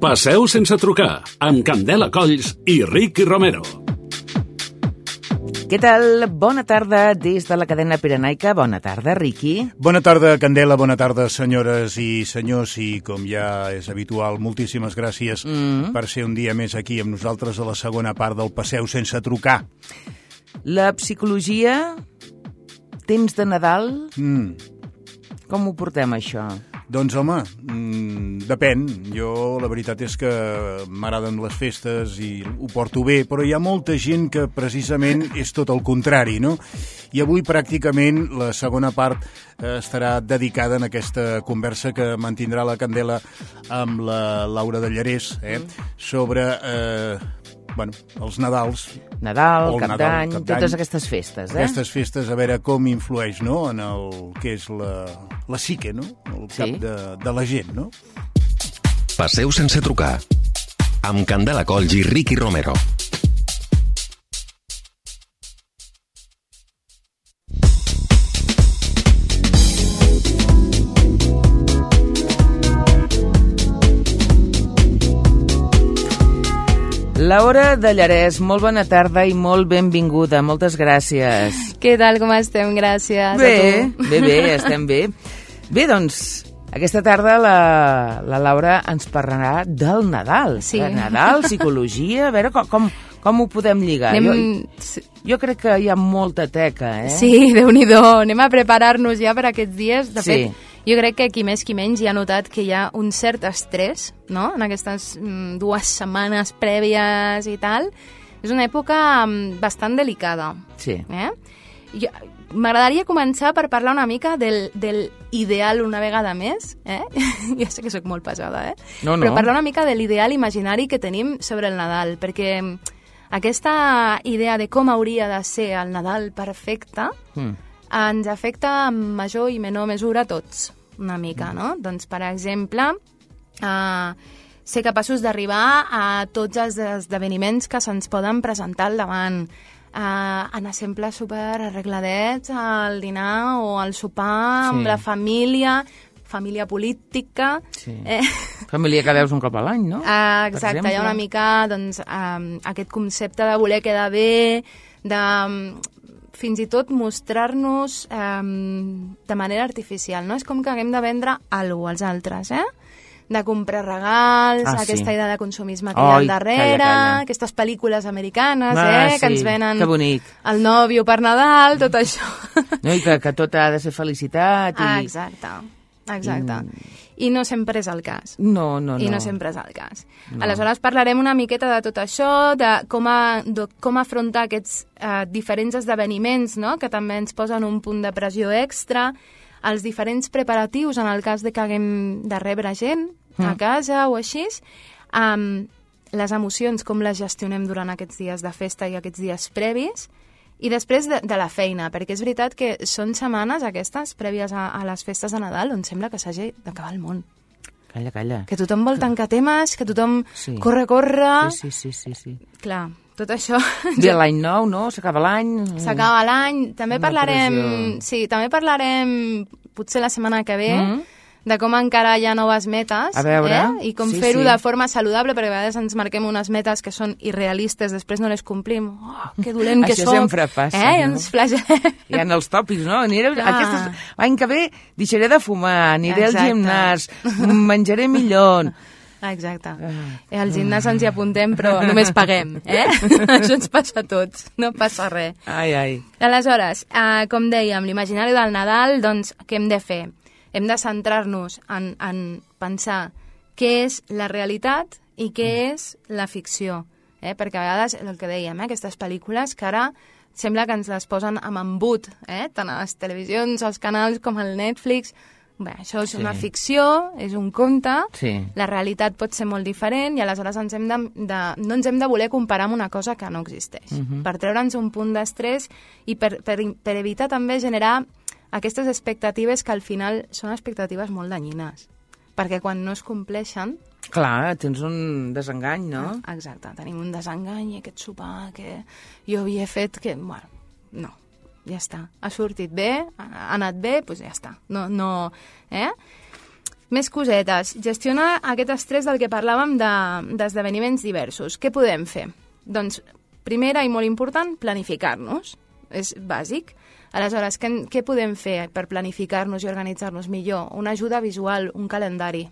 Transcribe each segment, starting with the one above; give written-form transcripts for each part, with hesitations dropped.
Passeu sense trucar, amb Candela Colls i Ricky Romero. Què tal? Bona tarda des de la cadena Pirenaica. Bona tarda, Ricky. Bona tarda, Candela. Bona tarda, senyores i senyors. I com ja és habitual, moltíssimes gràcies per ser un dia més aquí amb nosaltres a la segona part del Passeu sense trucar. La psicologia, temps de Nadal, com ho portem, això? Doncs, home, depèn. Jo, la veritat és que m'agraden les festes i ho porto bé, però hi ha molta gent que precisament és tot el contrari, no? I avui, pràcticament, la segona part estarà dedicada en aquesta conversa que mantindrà la Candela amb la Laura de Llarès, sobre els Nadals. Nadal, Cap d'Any, totes aquestes festes, Aquestes festes, a veure com influeix, no?, en el que és la psique, no?, el cap de la gent, no? Passeu sense trucar, amb Candela Colls i Ricky Romero. Laura de Llarès, molt bona tarda i molt benvinguda. Moltes gràcies. Què tal, com estem? Gràcies bé, a tu. Bé, estem bé. Bé, doncs, aquesta tarda la Laura ens parlarà del Nadal. Sí. Nadal, psicologia, a veure com ho podem lligar. Jo crec que hi ha molta teca, Sí, Déu-n'hi-do. Anem a preparar-nos ja per aquests dies. De fet, jo crec que qui més qui menys ja ha notat que hi ha un cert estrès, no?, en aquestes 2 setmanes prèvies i tal. És una època bastant delicada. Sí. M'agradaria començar per parlar una mica del ideal una vegada més. Ja sé que sóc molt pesada, No. Però parlar una mica de l'ideal imaginari que tenim sobre el Nadal, perquè aquesta idea de com hauria de ser el Nadal perfecte ens afecta en major i menor mesura a tots, una mica, no? Doncs, per exemple, ser capaços d'arribar a tots els esdeveniments que se'ns poden presentar al davant, anar sempre super arregladets al dinar o al sopar amb la família política. Sí. Família que veus un cop a l'any, no? Exacte, hi ha una mica doncs, aquest concepte de voler quedar bé, de fins i tot mostrar-nos de manera artificial, no? És com que haguem de vendre alguna cosa als altres, de comprar regals, aquesta idea de consumisme que hi ha al darrere, calla. Aquestes pel·lícules americanes, que ens venen el nòvio per Nadal, tot això. No, i que tot ha de ser felicitat. Exacte. I no sempre és el cas. No. I no sempre és el cas. No. Aleshores parlarem una miqueta de tot això, de com afrontar aquests diferents esdeveniments, no?, que també ens posen un punt de pressió extra, els diferents preparatius en el cas de que haguem de rebre gent a casa o així, les emocions, com les gestionem durant aquests dies de festa i aquests dies previs, i després de la feina, perquè és veritat que són setmanes aquestes, prèvies a les festes de Nadal, on sembla que s'hagi d'acabar el món. Calla. Que tothom vol tancar temes, que tothom corre. Sí. Clar, tot això... Ve l'any nou, no? S'acaba l'any. S'acaba l'any. També parlarem, potser la setmana que ve, de com encarar ja noves metes, a veure, i com fer-ho de forma saludable, perquè a vegades ens marquem unes metes que són irrealistes, després no les complim. Que dolent que soc. Això sempre passa. No? Ens flagellem. Hi ha els tòpics, no? L'any que ve deixaré de fumar, aniré al gimnàs, menjaré millor. Exacte. Al gimnàs ens hi apuntem, però només paguem, Això ens passa a tots, no passa res. Ai. Aleshores, com dèiem, l'imaginari del Nadal, doncs, què hem de fer? Hem de centrar-nos en pensar què és la realitat i què és la ficció. Perquè a vegades, el que dèiem, aquestes pel·lícules que ara sembla que ens les posen amb embut, tant a les televisions, als canals com al Netflix. Bé, això és una ficció, és un conte, la realitat pot ser molt diferent i aleshores no ens hem de voler comparar amb una cosa que no existeix. Per treure'ns un punt d'estrès i per evitar també generar aquestes expectatives que al final són expectatives molt danyines, perquè quan no es compleixen... Clar, tens un desengany, no? Exacte, tenim un desengany i aquest sopar que jo havia fet que... Bueno, no, ja està. Ha sortit bé, ha anat bé, doncs ja està. No, Més cosetes. Gestionar aquest estrès del que parlàvem d'esdeveniments diversos. Què podem fer? Doncs, primera i molt important, planificar-nos. És bàsic. Aleshores, què podem fer per planificar-nos i organitzar-nos millor? Una ajuda visual, un calendari.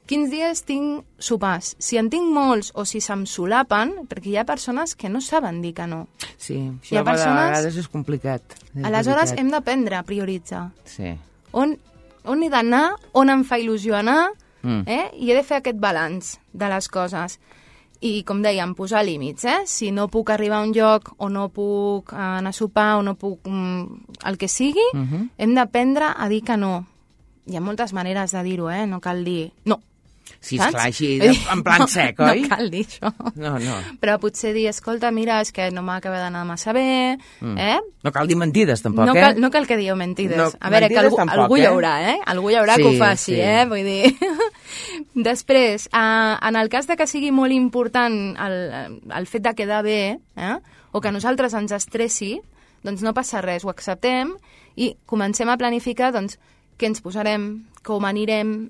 Quins dies tinc sopars? Si en tinc molts o si se'm solapen, perquè hi ha persones que no saben dir que no. Sí, això a vegades és complicat. Aleshores, hem d'aprendre a prioritzar. Sí. On he d'anar, on em fa il·lusió anar, i he de fer aquest balanç de les coses. I, com dèiem, posar límits, Si no puc arribar a un lloc, o no puc anar a sopar, o no puc el que sigui, hem d'aprendre a dir que no. Hi ha moltes maneres de dir-ho, no cal dir no. Sí, esclar, així, en plan sec, oi? No cal dir això. No. Però potser dir, escolta, mira, és que no m'acaba d'anar massa bé, No cal dir mentides, tampoc, No cal que digueu mentides. No, a veure, que algú hi haurà, Algú hi haurà que ho faci, sí. Vull dir... Després, en el cas de que sigui molt important el fet de quedar bé, o que a nosaltres ens estressi, doncs no passa res, ho acceptem i comencem a planificar, doncs, què ens posarem, com anirem,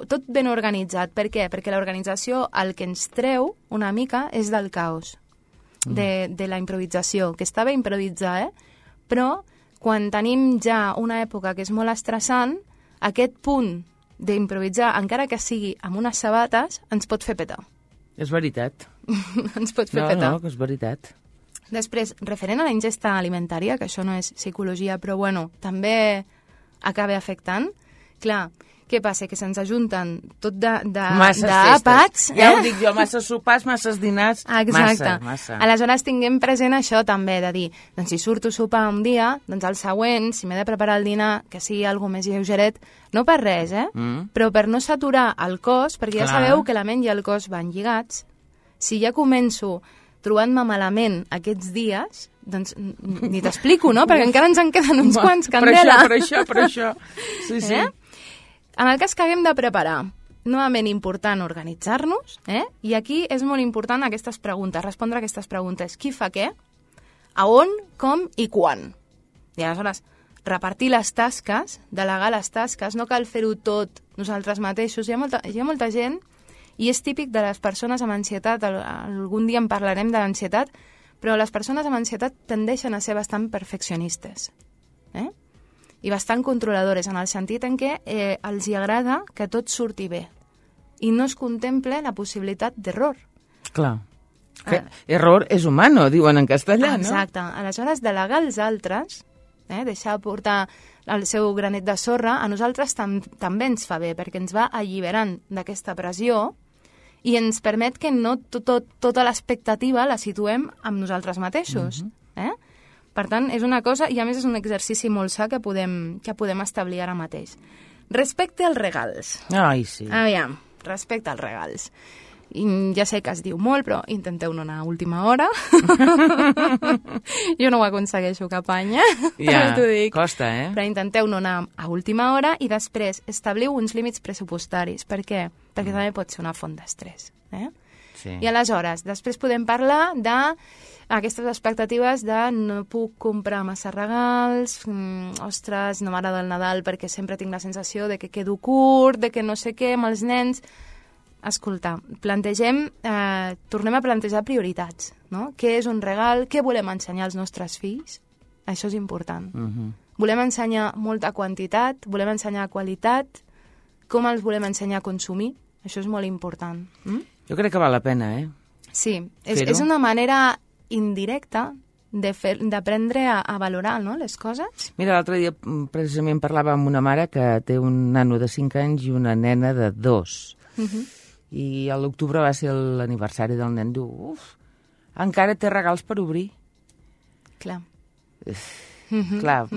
tot ben organitzat. Per què? Perquè l'organització el que ens treu una mica és del caos, de la improvisació, que està bé improvisar, però quan tenim ja una època que és molt estressant, aquest punt d'improvisar, encara que sigui amb unes sabates, ens pot fer petar. És veritat. Ens pot fer petar. No, que és veritat. Després, referent a la ingesta alimentària, que això no és psicologia, però bueno, també acaba afectant. Clar, què passa? Que se'ns ajunten tot d'àpats. Ja ho dic jo, masses sopars, masses dinars, exacte. Massa. Aleshores tinguem present això també, de dir, doncs si surto a sopar un dia, doncs el següent, si m'he de preparar el dinar, que sigui alguna més lleugeret, no per res, però per no saturar el cos, perquè ja sabeu que la ment i el cos van lligats. Si ja començo trobant-me malament aquests dies, doncs ni t'explico, no? Perquè encara ens en queden uns quants, Candela. Per això. Sí. En el cas que haguem de preparar, novament important organitzar-nos, i aquí és molt important aquestes preguntes, respondre a aquestes preguntes. Qui fa què? A on, com i quan? I aleshores, repartir les tasques, delegar les tasques, no cal fer-ho tot nosaltres mateixos. Hi ha molta gent, i és típic de les persones amb ansietat, algun dia en parlarem de l'ansietat, però les persones amb ansietat tendeixen a ser bastant perfeccionistes, i bastant controladores, en el sentit en què els hi agrada que tot surti bé i no es contemple la possibilitat d'error. Clar. Error és humano, diuen en castellà, no? Exacte. Aleshores, delegar als altres, deixar portar el seu granet de sorra, a nosaltres també ens fa bé, perquè ens va alliberant d'aquesta pressió i ens permet que no tota l'expectativa la situem amb nosaltres mateixos. Per tant, és una cosa, i a més és un exercici molt sa que podem establir ara mateix. Respecte als regals. Ai, sí. Aviam, respecte als regals. I ja sé que es diu molt, però intenteu no anar a última hora. Jo no ho aconsegueixo cap any, ja, costa, Però intenteu no anar a última hora i després establiu uns límits pressupostaris. Per què? Perquè també pot ser una font d'estrès. Sí. I aleshores, després podem parlar d'aquestes expectatives de no puc comprar massa regals, ostres, no m'agrada el Nadal perquè sempre tinc la sensació de que quedo curt, de que no sé què amb els nens. Escolta, tornem a plantejar prioritats, no? Què és un regal? Què volem ensenyar als nostres fills? Això és important. Volem ensenyar molta quantitat, volem ensenyar qualitat, com els volem ensenyar a consumir? Això és molt important. Jo crec que val la pena, Sí, és una manera indirecta d'aprendre a valorar, no?, les coses. Mira, l'altre dia precisament parlava amb una mare que té un nano de 5 anys i una nena de 2. I a l'octubre va ser l'aniversari del nen. Diu, encara té regals per obrir. Clar. Clar,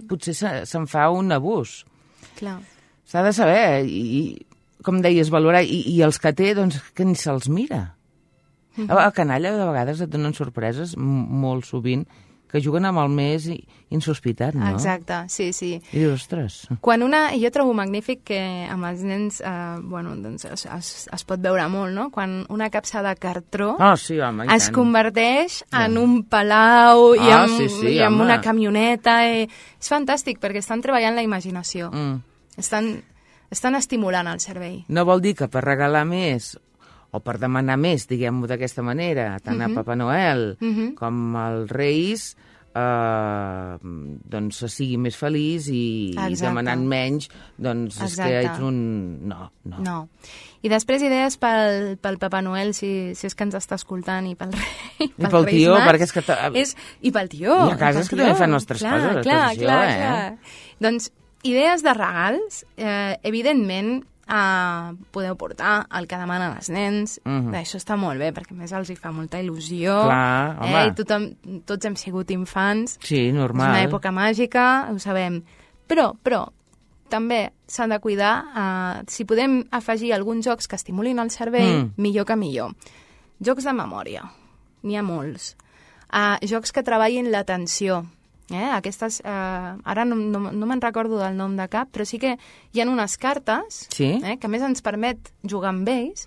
potser se'n fa un abús. Clar. S'ha de saber, i com deies, valorar, i els que té, doncs, que ni se'ls mira. A canalla, de vegades, et donen sorpreses, molt sovint, que juguen amb el més insospitat, no? Exacte, sí. I dius, ostres. Jo trobo magnífic que amb els nens, doncs es pot veure molt, no? Quan una capsa de cartró sí, home, es converteix en un palau i en una camioneta. És fantàstic, perquè estan treballant la imaginació. Estan estan estimulant el cervell. No vol dir que per regalar més o per demanar més, diguem-ho d'aquesta manera, tant a Papa Noel com als Reis, doncs se sigui més feliç i demanant menys, doncs és que ets un... No. I després idees pel Papa Noel, si és que ens està escoltant, i pel rei, i pel tio, perquè és que... I pel tio. I a casa és que també fan nostres coses, clar. Doncs idees de regals, evidentment, podeu portar el que demanen els nens. Això està molt bé, perquè a més els hi fa molta il·lusió. Clar, home. I tots hem sigut infants. Sí, normal. És una època màgica, ho sabem. Però també s'han de cuidar, si podem afegir alguns jocs que estimulin el cervell, millor que millor. Jocs de memòria, n'hi ha molts. Jocs que treballin l'atenció. Aquestes, ara no me'n recordo del nom de cap, però sí que hi ha unes cartes que a més ens permet jugar amb ells,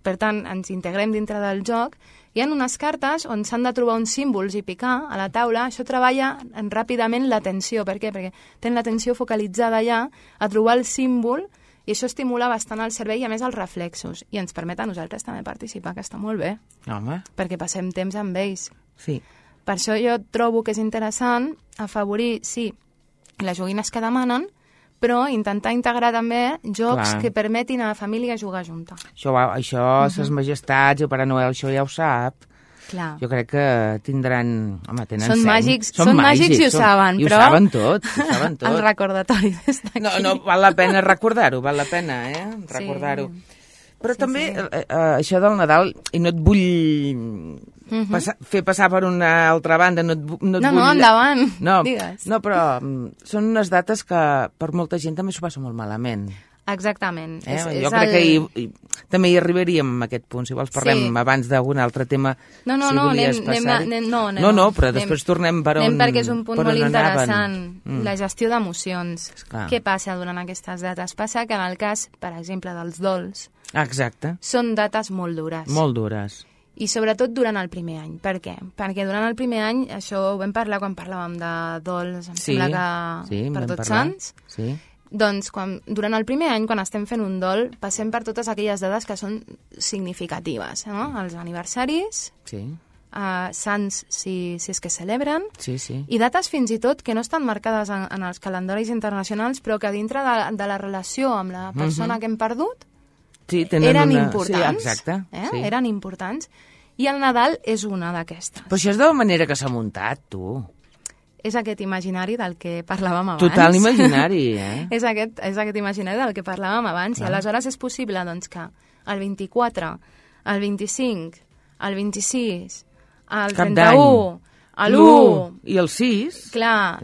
per tant ens integrem dintre del joc. Hi ha unes cartes on s'han de trobar uns símbols i picar a la taula. Això treballa ràpidament l'atenció. Per què? Perquè tenen l'atenció focalitzada allà a trobar el símbol, i això estimula bastant el cervell i a més els reflexos, i ens permet a nosaltres també participar, que està molt bé. Home. Perquè passem temps amb ells. Sí. Per això jo trobo que és interessant afavorir, sí, les joguines que demanen, però intentar integrar també jocs que permetin a la família jugar junta. Això ses majestats i el Pare Noel, això ja ho sap. Clar. Jo crec que tindran... Home, tenen són seny. Són màgics i ho saben, però... I ho saben tot, El recordatori des d'aquí. No, val la pena recordar-ho, val la pena, recordar-ho. Però també això del Nadal, i no et vull fer passar per una altra banda, no et vull... No, endavant, digues. No, però són unes dates que per molta gent també s'ho passa molt malament. Exactament. Jo crec que també hi arribaríem a aquest punt, si vols parlem abans d'algun altre tema. No, però després tornem per on perquè és un punt molt interessant, la gestió d'emocions. Què passa durant aquestes dates? Passa que en el cas, per exemple, dels dols, són dates molt dures. Molt dures. I sobretot durant el primer any. Per què? Perquè durant el primer any, això ho vam parlar quan parlàvem de dols, em sembla que per Tots Sants. Sí. Doncs durant el primer any, quan estem fent un dol, passem per totes aquelles dades que són significatives, no? Els aniversaris, sants si és que celebren, i dates fins i tot que no estan marcades en els calendaris internacionals, però que dintre de la relació amb la persona que hem perdut eren importants. Eren importants. I el Nadal és una d'aquestes. Però això és de la manera que s'ha muntat, tu. És aquest imaginari del que parlàvem abans. Total imaginari, és aquest imaginari del que parlàvem abans. I aleshores és possible doncs, que el 24, el 25, el 26, el 31, l'1... I el 6... Clar,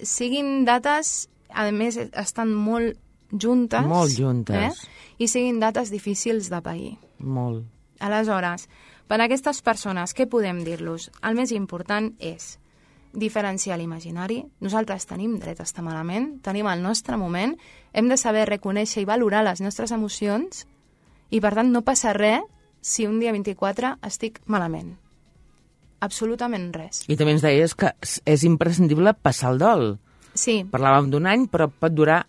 siguin dates, a més, estan molt juntes. Molt juntes. I siguin dates difícils de pair. Molt. Aleshores, per a aquestes persones, què podem dir-los? El més important és diferenciar l'imaginari. Nosaltres tenim dret a estar malament, tenim el nostre moment, hem de saber reconèixer i valorar les nostres emocions i, per tant, no passa res si un dia 24 estic malament. Absolutament res. I també ens deies que és imprescindible passar el dol. Sí. Parlàvem d'un any, però pot durar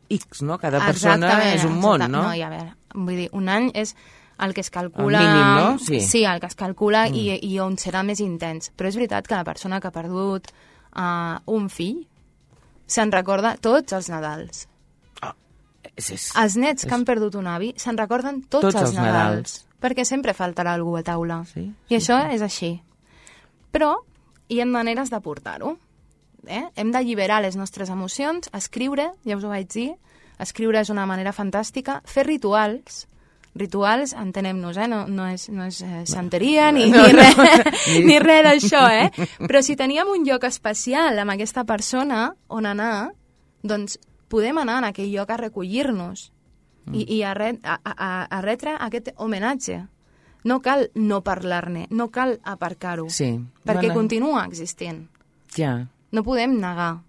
X, no? Cada persona és un món, no? No, i a veure, vull dir, un any és el que es calcula... El mínim, no? Sí, el que es calcula i on serà més intens. Però és veritat que la persona que ha perdut un fill se'n recorda tots els Nadals. Els nets que han perdut un avi se'n recorden tots els Nadals. Perquè sempre faltarà algú a taula. I això és així. Però hi ha maneres de portar-ho. Hem d'alliberar les nostres emocions, escriure, ja us ho vaig dir, escriure és una manera fantàstica, fer rituals, entenem-nos, no és santeria ni res d'això, Però si teníem un lloc especial amb aquesta persona on anar, doncs podem anar en aquell lloc a recollir-nos i a retre aquest homenatge. No cal no parlar-ne, no cal aparcar-ho, perquè continua existint. Ja. No podem negar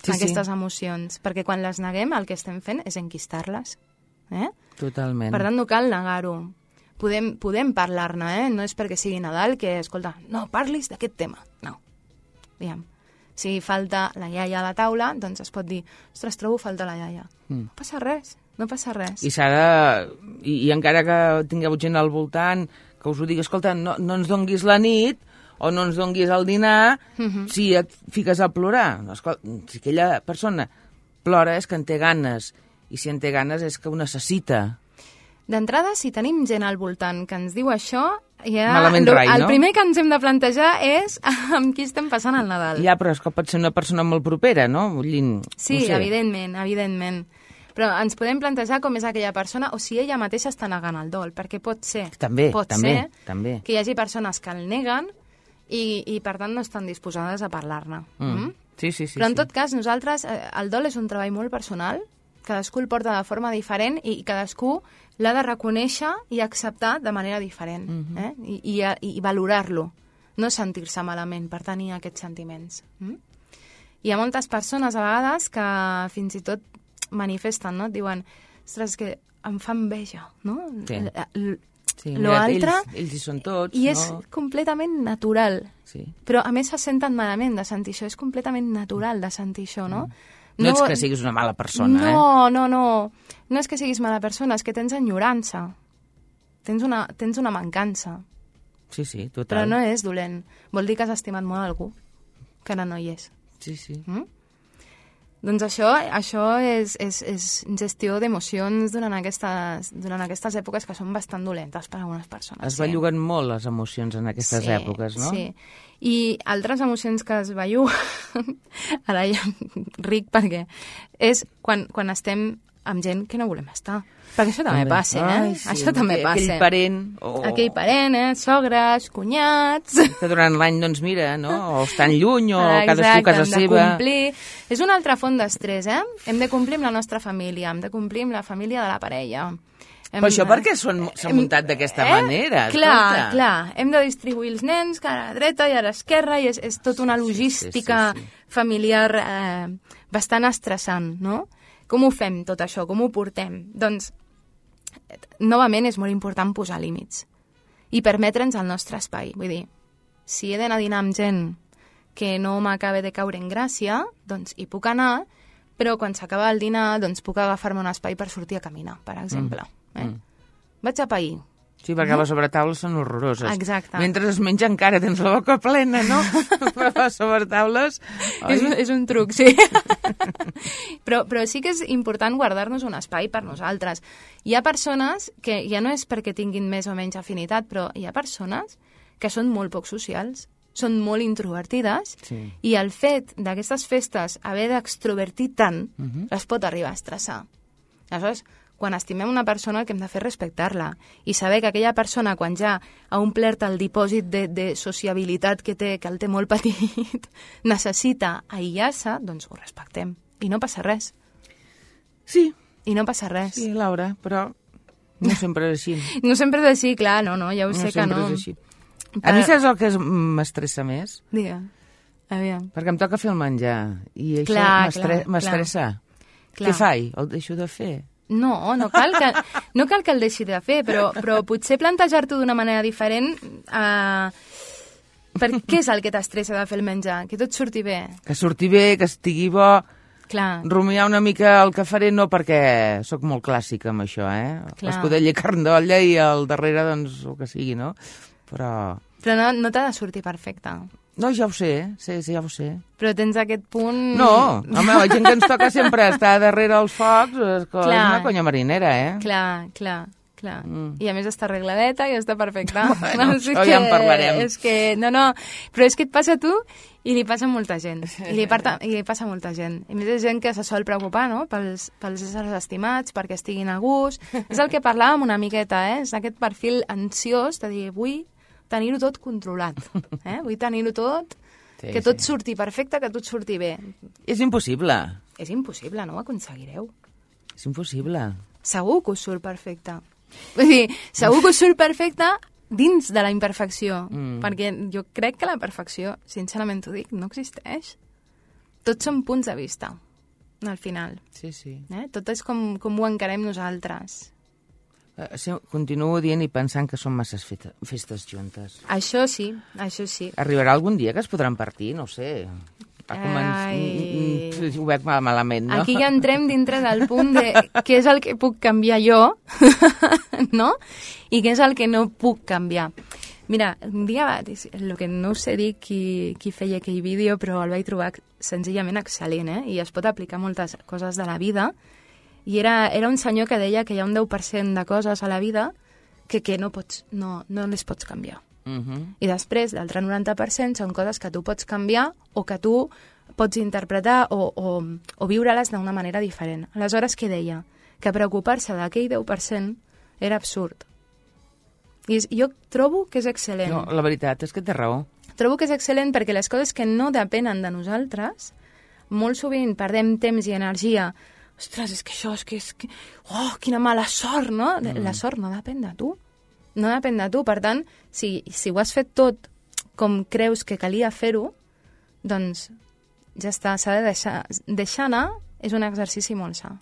aquestes emocions, perquè quan les neguem el que estem fent és enquistar-les. Totalment. Per tant, no cal negar-ho. Podem parlar-ne, no és perquè sigui Nadal que, escolta, no parlis d'aquest tema. No. Aviam. Si falta la iaia a la taula, doncs es pot dir, ostres, trobo falta la iaia. No passa res, no passa res. I s'ha de... I encara que tingueu gent al voltant que us ho digui, escolta, no ens donguis la nit o no ens donguis el dinar si et fiques a plorar. No, escolta, si aquella persona plora és que en té ganes, i si en té ganes és que ho necessita. D'entrada, si tenim gent al voltant que ens diu això, ja Malament rai, no? El primer que ens hem de plantejar és amb qui estem passant el Nadal. Ja, però és que pot ser una persona molt propera, no? Sí, no sé. evidentment. Però ens podem plantejar com és aquella persona o si ella mateixa està negant el dol, perquè pot ser També. que hi hagi persones que el neguen i per tant no estan disposades a parlar-ne. Sí. Però en tot cas, nosaltres, el dol és un treball molt personal, cadascú el porta de forma diferent i cadascú l'ha de reconèixer i acceptar de manera diferent, i valorar-lo, no sentir-se malament per tenir aquests sentiments. Hi ha moltes persones a vegades que fins i tot manifesten, no? Et diuen, ostres, que em fa enveja, no? Sí, L'altre, ells hi són tots, i és completament natural. Sí. Però a més se senten malament de sentir això, és completament natural de sentir això, no? No ets que siguis una mala persona, No. No és que siguis mala persona, és que tens enyorança. Tens una mancança. Sí, total. Però no és dolent. Vol dir que has estimat molt algú, que ara no hi és. Sí. Doncs això és gestió d'emocions durant aquestes èpoques que són bastant dolentes per a algunes persones. Es belluguen molt les emocions en aquestes èpoques, no? Sí, i altres emocions que es belluguen, ara ja ric perquè, és quan estem amb gent que no volem estar. Perquè això també passa, Sí, això també passa. Aquell parent, sogres, cunyats... Que durant l'any, doncs mira, no? O estan lluny, o cadascú a casa seva... Exacte, hem de complir. És una altra font d'estrès, Hem de complir amb la nostra família, hem de complir amb la família de la parella. Però això per què s'ha muntat d'aquesta manera? Clar. Hem de distribuir els nens cara a la dreta i a l'esquerra i és tota una logística familiar bastant estressant, no? Com ho fem, tot això? Com ho portem? Doncs, novament, és molt important posar límits i permetre'ns el nostre espai. Vull dir, si he d'anar a dinar amb gent que no m'acabe de caure en gràcia, doncs hi puc anar, però quan s'acaba el dinar, doncs puc agafar-me un espai per sortir a caminar, per exemple. Vaig a pair. Sí, perquè les sobretaules són horroroses. Exacte. Mentre es menja encara tens la boca plena, no? Però les sobretaules... És un truc, sí. Però sí que és important guardar-nos un espai per nosaltres. Hi ha persones que, ja no és perquè tinguin més o menys afinitat, però hi ha persones que són molt poc socials, són molt introvertides, i el fet d'aquestes festes haver d'extrovertir tant, les pot arribar a estressar. Aleshores, quan estimem una persona el que hem de fer és respectar-la i saber que aquella persona, quan ja ha omplert el dipòsit de sociabilitat que té, que el té molt petit, necessita aïllar-se, doncs ho respectem. I no passa res. Sí. I no passa res. Sí, Laura, però no sempre és així. No sempre és així, clar, no, ja ho sé que no. No sempre és així. A mi saps el que m'estressa més? Digue'm, aviam. Perquè em toca fer el menjar i això m'estressa. Què faig? El deixo de fer? No cal que el deixi de fer, però potser plantejar-t'ho d'una manera diferent. Per què és el que t'estressa de fer el menjar? Que tot surti bé. Que surti bé, que estigui bo. Clar. Rumiar una mica el que faré, no perquè sóc molt clàssica amb això, l'escudella i carn d'olla i al darrere, doncs, el que sigui, no? Però no t'ha de sortir perfecte. No, ja ho sé, ja ho sé. Però tens aquest punt... No, home, la gent que ens toca sempre estar darrere els focs és una conya marinera, Clar. I a més està arregladeta i està perfecta. Bueno, això ja en parlarem. Però és que et passa a tu i li passa a molta gent. I li passa a molta gent. I més és gent que se sol preocupar, no?, pels éssers estimats, perquè estiguin a gust. És el que parlàvem una miqueta, És aquest perfil ansiós de dir, vull tenir-ho tot controlat. Vull tenir-ho tot, que tot surti perfecte, que tot surti bé. És impossible. És impossible, no ho aconseguireu. És impossible. Segur que us surt perfecte. Vull dir, segur que us surt perfecte dins de la imperfecció, perquè jo crec que la perfecció, sincerament t'ho dic, no existeix. Tots són punts de vista, al final. Sí. Tot és com ho encarem nosaltres. Continuo dient i pensant que són masses festes juntes. Això sí. Arribarà algun dia que es podran partir, no ho sé. ho veig malament, no? Aquí ja entrem dintre del punt de què és el que puc canviar jo, no? I què és el que no puc canviar. Mira, un dia, el que no sé dir qui feia aquell vídeo, però el vaig trobar senzillament excel·lent, i es pot aplicar moltes coses de la vida. I era un senyor que deia que hi ha un 10% de coses a la vida que no les pots canviar. I després, l'altre 90% són coses que tu pots canviar o que tu pots interpretar o viure-les d'una manera diferent. Aleshores, què deia? Que preocupar-se d'aquell 10% era absurd. I jo trobo que és excel·lent. No, la veritat és que té raó. Trobo que és excel·lent perquè les coses que no depenen de nosaltres, molt sovint perdem temps i energia. Ostres, és que oh, quina mala sort, no? La sort no depèn de tu. No depèn de tu. Per tant, si ho has fet tot com creus que calia fer-ho, doncs ja està, s'ha de deixar anar, és un exercici molt sa.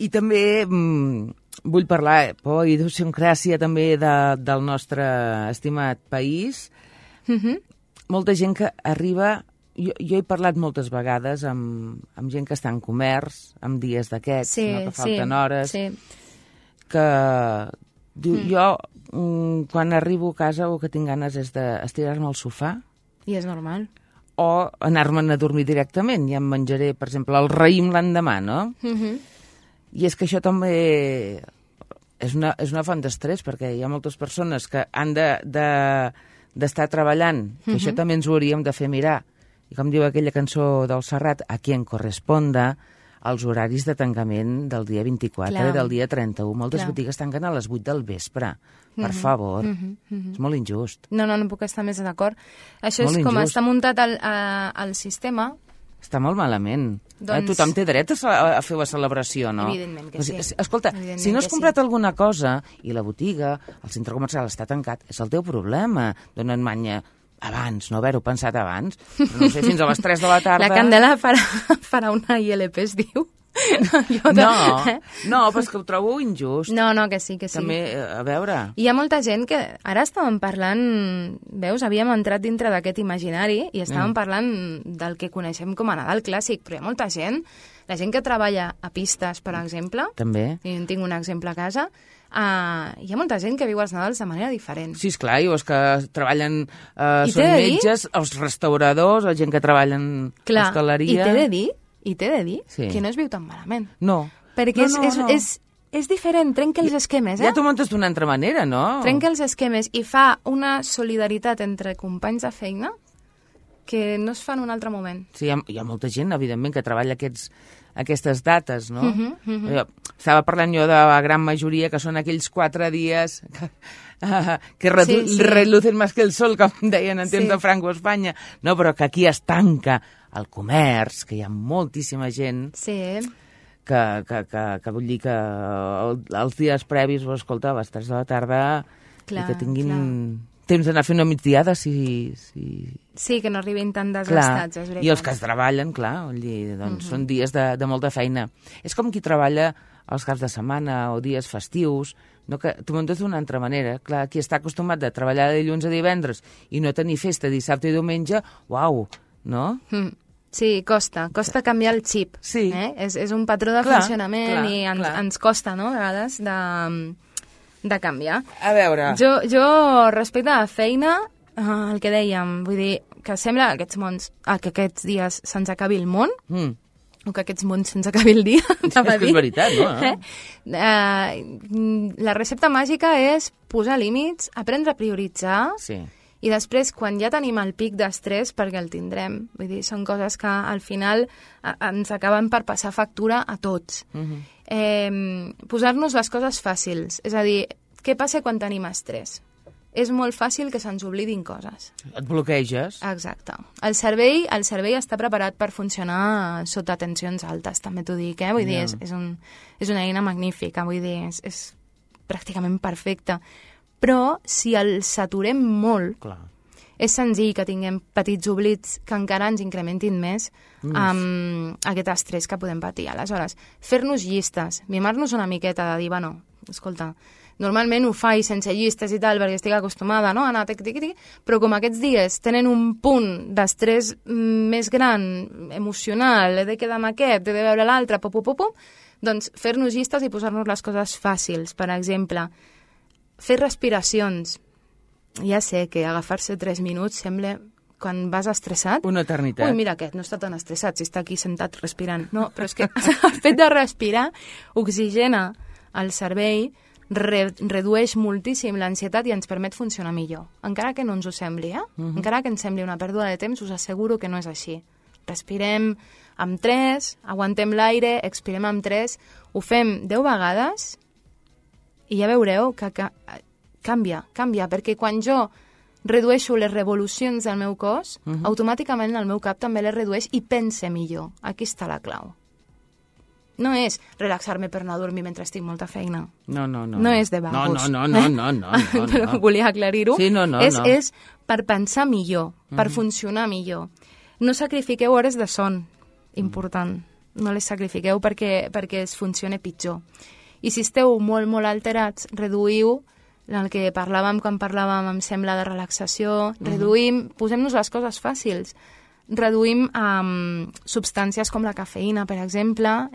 I també vull parlar, por idiosincràsia també del nostre estimat país. Molta gent que arriba... Jo he parlat moltes vegades amb gent que està en comerç, amb dies d'aquests, que falten hores, que diu, jo quan arribo a casa el que tinc ganes és d'estirar-me al sofà. I és normal. O anar-me'n a dormir directament, ja em menjaré, per exemple, el raïm l'endemà, no? I és que això també és una font d'estrès, perquè hi ha moltes persones que han d'estar treballant, que això també ens ho hauríem de fer mirar. I com diu aquella cançó del Serrat, a qui en corresponda els horaris de tancament del dia 24 i del dia 31. Moltes botigues tanquen a les 8 del vespre. Per favor. És molt injust. No puc estar més d'acord. Això és com està muntat el sistema. Està molt malament. Tothom té dret a fer la celebració, no? Evidentment que sí. Escolta, si no has comprat alguna cosa i la botiga, el centre comercial està tancat, és el teu problema. Dona't manya abans, no haver-ho pensat abans. Però no sé, fins a les 3 de la tarda... La Candela farà una ILP, es diu? No, però és que ho trobo injust. No, que sí. També, a veure... Hi ha molta gent que... Ara estàvem parlant... Veus, havíem entrat dintre d'aquest imaginari i estàvem parlant del que coneixem com a Nadal clàssic, però hi ha molta gent, la gent que treballa a pistes, per exemple... També. I en tinc un exemple a casa... hi ha molta gent que viu els Nadals de manera diferent. Sí, esclar, i els que treballen són metges, els restauradors, la gent que treballa en hostaleria... I t'he de dir que no es viu tan malament. No. Perquè és diferent, trenca els esquemes, Ja t'ho muntes d'una altra manera, no? Trenca els esquemes i fa una solidaritat entre companys de feina que no es fa en un altre moment. Sí, hi ha molta gent, evidentment, que treballa aquestes dates, no? Estava parlant jo de la gran majoria, que són aquells 4 dies que relucen més que el sol, com deien en temps de Franco a Espanya. No, però que aquí es tanca el comerç, que hi ha moltíssima gent que vull dir que els dies previs, escolta, a les 3 de la tarda i que tinguin temps d'anar a fer una migdiada, Sí, que no arribin tan desgastats, és veritat. I els que es treballen, clar, vull dir, doncs són dies de molta feina. És com qui treballa els caps de setmana o dies festius, no, que t'ho muntes d'una altra manera. Clar, qui està acostumat a treballar de dilluns a divendres i no tenir festa dissabte i diumenge, uau, no? Sí, costa canviar el xip. Sí. És un patró de funcionament i ens costa, no?, a vegades de canviar. A veure... Jo respecte a la feina, el que dèiem, vull dir, que sembla que aquests dies se'ns acabi el món, o que aquests mons se'ns acabi el dia. És que és veritat, no? La recepta màgica és posar límits, aprendre a prioritzar, i després, quan ja tenim el pic d'estrès, perquè el tindrem, vull dir, són coses que al final ens acaben per passar factura a tots. Posar-nos les coses fàcils, és a dir, què passa quan tenim estrès? És molt fàcil que se'ns oblidin coses. Et bloqueges. Exacte. El cervell està preparat per funcionar sota tensions altes, també t'ho dic, Vull dir, és una eina magnífica, vull dir, és pràcticament perfecta. Però si el saturem molt, és senzill que tinguem petits oblits que encara ens incrementin més aquest estrès que podem patir. Aleshores, fer-nos llistes, mimar-nos una miqueta de dir, bueno, escolta, normalment ho faig sense llistes i tal, perquè estic acostumada, no?, a anar tic-tic-tic, però com aquests dies tenen un punt d'estrès més gran, emocional, he de quedar amb aquest, he de veure l'altre, doncs fer-nos llistes i posar-nos les coses fàcils. Per exemple, fer respiracions. Ja sé que agafar-se 3 minuts sembla, quan vas estressat... Una eternitat. Ui, mira aquest, no està tan estressat, si està aquí sentat respirant. No, però és que el fet de respirar oxigena el cervell, redueix moltíssim l'ansietat i ens permet funcionar millor. Encara que no ens ho sembli, encara que ens sembli una pèrdua de temps, us asseguro que no és així. Respirem amb 3, aguantem l'aire, expirem amb 3, ho fem 10 vegades i ja veureu que canvia, perquè quan jo redueixo les revolucions del meu cos, automàticament el meu cap també les redueix i pense millor. Aquí està la clau. No és relaxar-me per anar a dormir mentre estic molta feina. No. No és de vagos. No. Però volia aclarir-ho. Sí, no. És per pensar millor, per funcionar millor. No sacrifiqueu hores de son, important. No les sacrifiqueu perquè es funcione pitjor. I si esteu molt, molt alterats, reduïu el que parlàvem quan parlàvem, em sembla, de relaxació, reduïm, posem-nos les coses fàcils. Reduïm substàncies com la cafeïna, per exemple,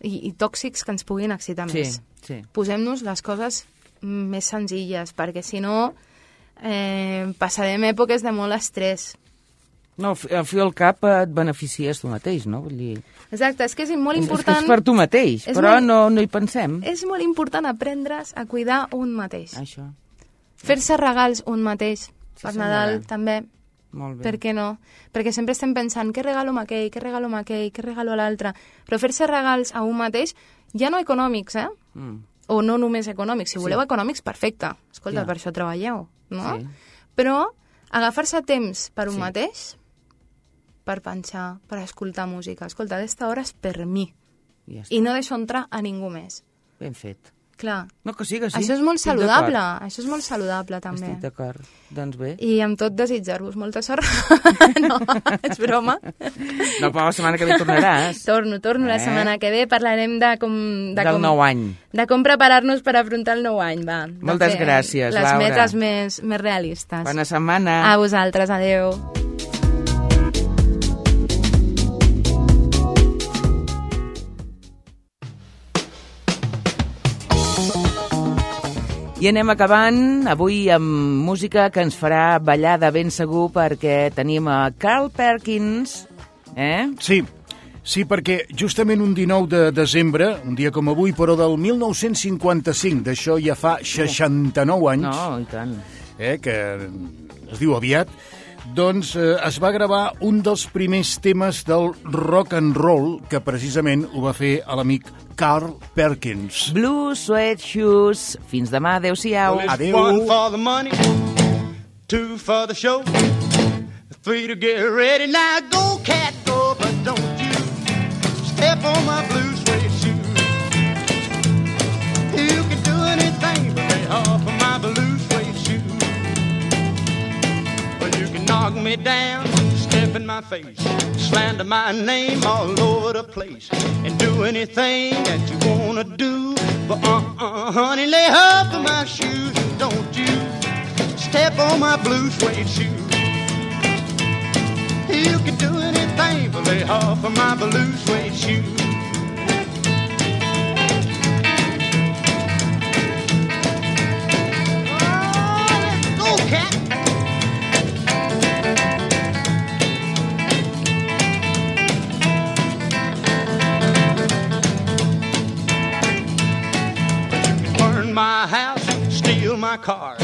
i tòxics que ens puguin excitar més. Sí. Posem-nos les coses més senzilles, perquè si no passarem èpoques de molt estrès. No, al fi al cap et beneficies tu mateix, no? Vull dir... Exacte, és que és molt important... És per tu mateix, però no hi pensem. És molt important aprendre's a cuidar un mateix. Això. Fer-se regals un mateix. Per Nadal, també. Molt bé. Per què no? Perquè sempre estem pensant què regalo a aquell, què regalo a l'altre. Però fer-se regals a un mateix, ja no econòmics, o no només econòmics. Si voleu econòmics, perfecte. Escolta, per això treballeu, no? Sí. Però agafar-se temps per un mateix, per pensar, per escoltar música. Escolta, aquesta hora és per mi. I no deixo entrar a ningú més. Ben fet. Clar. No, que sí. Això és molt saludable. Això és molt saludable, també. Estic d'acord. Doncs bé. I amb tot desitjar-vos molta sort. No, és broma. No, però la setmana que ve tornaràs. Torno la setmana que ve. Parlarem del nou any. De com preparar-nos per afrontar el nou any, va. Moltes gràcies, Laura. Les metes més realistes. Bona setmana. A vosaltres, adeu. I anem acabant avui amb música que ens farà ballar de ben segur, perquè tenim a Carl Perkins, Sí, perquè justament un 19 de desembre, un dia com avui, però del 1955, d'això ja fa 69 anys, no, i tant, que es diu aviat, doncs es va gravar un dels primers temes del rock and roll, que precisament ho va fer l'amic Carl Perkins. Blue Suede Shoes. Fins demà, adeu-siau. Adeu. 1 for the money, 2 for the show, 3 to get ready. Now go, cat, go, but don't you step on my blue suede shoes. You can do anything but lay off of my blue suede shoes. Well, you can knock me down, step in my face, slander my name all over the place, and do anything that you wanna do. But honey, lay off of my shoes, and don't you step on my blue suede shoes. You can do anything but lay off of my blue suede shoes. Oh, let's go, cat. My house, steal my car,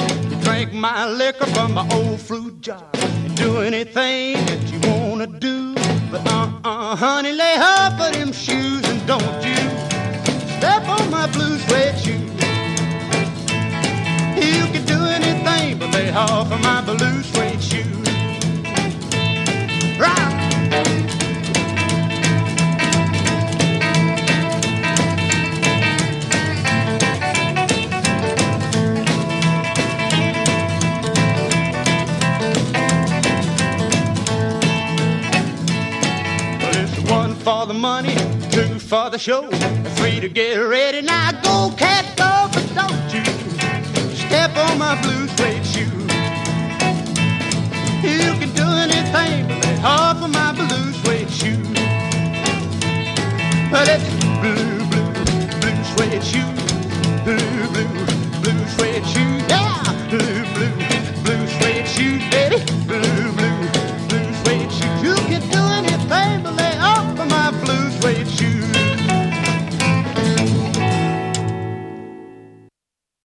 drink my liquor from my old fruit jar, and do anything that you wanna do. But honey, lay off of them shoes, and don't you step on my blue suede shoes. You can do anything but lay off of my blue suede shoes. Right. For the money, 2 for the show, 3 to get ready. Now go, cat, go, blue suede shoes.